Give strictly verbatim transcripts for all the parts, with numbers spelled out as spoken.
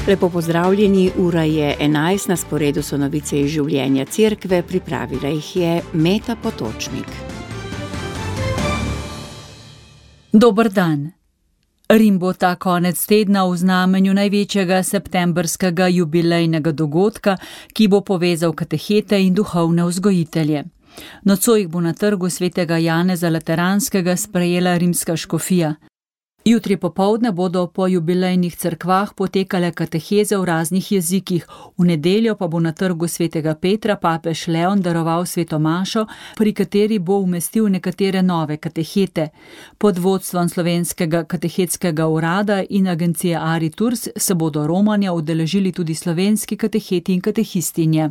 Lepo pozdravljeni, ura je enajst, na sporedu so novice iz življenja cerkve, pripravila jih je Meta Potočnik. Dober dan. Rim bo ta konec tedna v znamenju največjega septembrskega jubilejnega dogodka, ki bo povezal katehete in duhovne vzgojitelje. Nocoj jih bo na trgu svetega Janeza Lateranskega sprejela rimska škofija. Jutri popoldne bodo po jubilejnih cerkvah potekale kateheze v raznih jezikih, v nedeljo pa bo na trgu svetega Petra papež Leon daroval sveto mašo, pri kateri bo umestil nekatere nove katehete. Pod vodstvom Slovenskega katehetskega urada in agencije Ariturs se bodo romanja udeležili tudi slovenski kateheti in katehistinje.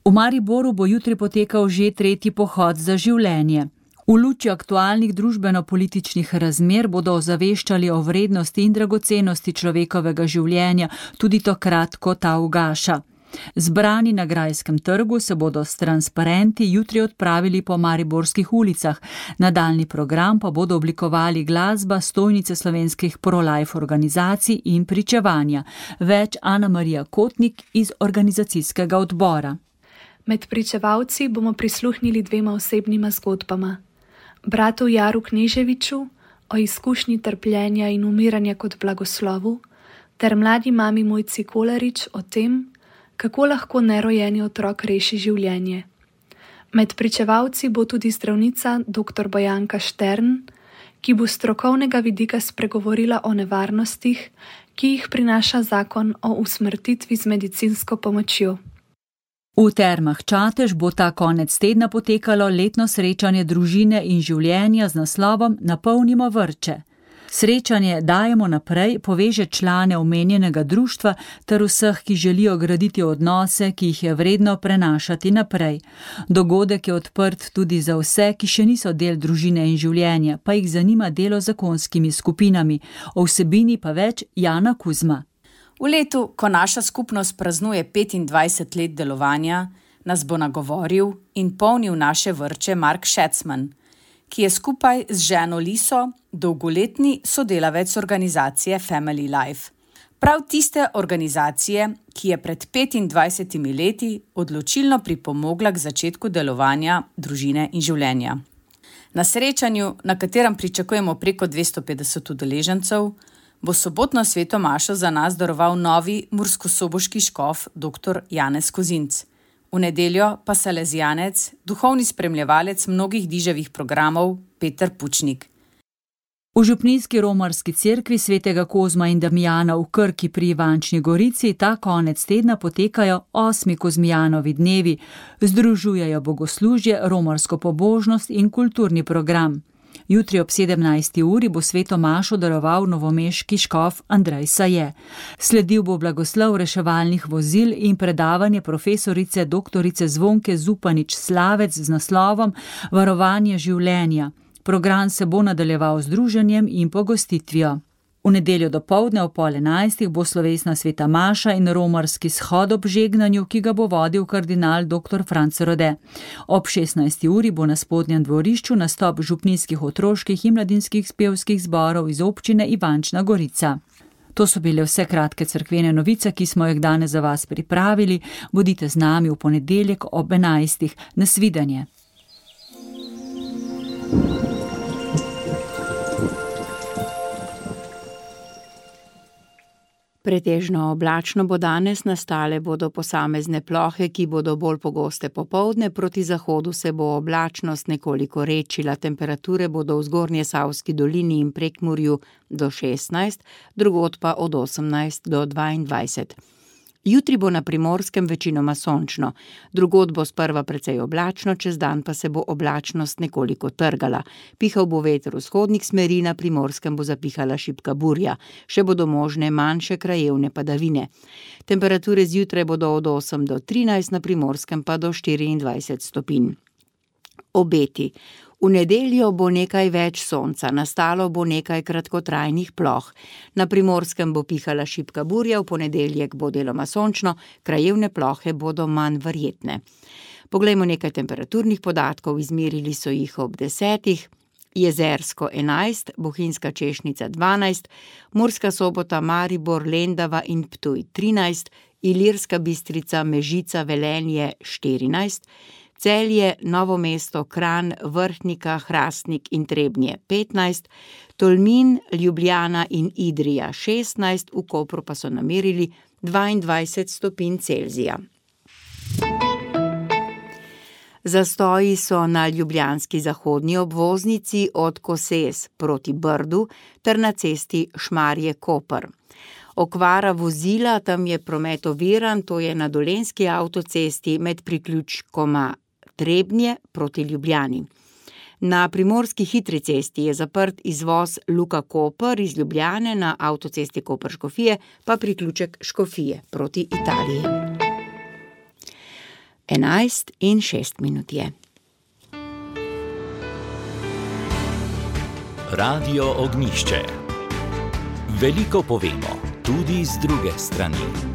V Mariboru bo jutri potekal že tretji pohod za življenje. V luči aktualnih družbeno-političnih razmer bodo ozaveščali o vrednosti in dragocenosti človekovega življenja tudi takrat, ko ta ugaša. Zbrani na Grajskem trgu se bodo s transparenti jutri odpravili po mariborskih ulicah. Nadaljnji program pa bodo oblikovali glasba, stojnice slovenskih pro-life organizacij in pričevanja. Več Ana Marija Kotnik iz organizacijskega odbora. Med pričevalci bomo prisluhnili dvema osebnima zgodbama. Bratu Jaru Kneževiču o izkušnji trpljenja in umiranja kot blagoslovu, ter mladi mami Mojci Kolarič o tem, kako lahko nerojeni otrok reši življenje. Med pričevalci bo tudi zdravnica dr. Bojanka Štern, ki bo s strokovnega vidika spregovorila o nevarnostih, ki jih prinaša zakon o usmrtitvi z medicinsko pomočjo. V Termah Čatež bo ta konec tedna potekalo letno srečanje družine in življenja z naslovom Napolnimo vrče. Srečanje Dajemo naprej poveže člane omenjenega društva ter vseh, ki želijo graditi odnose, ki jih je vredno prenašati naprej. Dogodek je odprt tudi za vse, ki še niso del družine in življenja, pa jih zanima delo z zakonskimi skupinami. O vsebini pa več Jana Kuzma. V letu, ko naša skupnost praznuje petindvajset let delovanja, nas bo nagovoril in polnil naše vrče Mark Šecman, ki je skupaj z ženo Liso dolgoletni sodelavec organizacije Family Life. Prav tiste organizacije, ki je pred petindvajsetimi leti odločilno pripomogla k začetku delovanja družine in življenja. Na srečanju, na katerem pričakujemo preko dvesto petdeset udeležencev, bo sobotno sveto mašo za nas daroval novi murskosoboški škof dr. Janez Kozinc. V nedeljo pa salezijanec, duhovni spremljevalec mnogih diževih programov Peter Pučnik. V župnijski romarski cerkvi svetega Kozma in Damijana v Krki pri Ivančni Gorici ta konec tedna potekajo osmi Kozmijanovi dnevi. Združujejo bogoslužje, romarsko pobožnost in kulturni program. Jutri ob sedemnajsti uri bo sveto mašo daroval novomeški škof Andrej Saje. Sledil bo blagoslov reševalnih vozil in predavanje profesorice doktorice Zvonke Zupanič Slavec z naslovom Varovanje življenja. Program se bo nadaljeval z druženjem in pogostitvijo. V nedeljo dopoldne ob pol enajstih bo slovesna sveta maša in romarski shod ob žegnanju, ki ga bo vodil kardinal dr. Franc Rode. Ob šestnajsti uri bo na spodnjem dvorišču nastop župnijskih otroških in mladinskih pevskih zborov iz občine Ivančna Gorica. To so bile vse kratke cerkvene novice, ki smo jih danes za vas pripravili. Bodite z nami v ponedeljek ob enajstih. Nasvidenje. Pretežno oblačno bo danes, nastale bodo posamezne plohe, ki bodo bolj pogoste popoldne, proti zahodu se bo oblačnost nekoliko redčila, temperature bodo v Zgornjesavski dolini in Prekmurju do šestnajst, drugod pa od osemnajst do dvaindvajset. Jutri bo na Primorskem večinoma sončno, drugod bo sprva precej oblačno, čez dan pa se bo oblačnost nekoliko trgala. Pihal bo veter vzhodnih smeri, na Primorskem bo zapihala šibka burja, še bodo možne manjše krajevne padavine. Temperature zjutraj bodo od osem do trinajst, na Primorskem pa do štiriindvajset stopinj. Obeti. V nedeljo bo nekaj več sonca, nastalo bo nekaj kratkotrajnih ploh. Na Primorskem bo pihala šibka burja, v ponedeljek bo deloma sončno, krajevne plohe bodo manj verjetne. Poglejmo nekaj temperaturnih podatkov, izmerili so jih ob desetih. Jezersko enajst, Bohinjska Češnica dvanajst, Murska Sobota, Maribor, Lendava in Ptuj trinajst, Ilirska Bistrica, Mežica, Velenje štirinajst, Celje, Novo mesto, Kranj, Vrhnika, Hrastnik in Trebnje petnajst, Tolmin, Ljubljana in Idrija šestnajst, v Kopru pa so namerili dvaindvajset stopinj Celzija. Zastoji so na ljubljanski zahodni obvoznici od Koses proti Brdu ter na cesti Šmarje-Koper. Okvara vozila, tam je promet oviran, to je na Dolenjski avtocesti med priključkoma Trebnje proti Ljubljani. Na primorski hitri cesti je zaprt izvoz Luka-Koper iz Ljubljane, na avtocesti Koper-Škofije pa priključek Škofije proti Italiji. enajst in šest minut je. Radio Ognjišče. Veliko povemo, tudi z druge strani.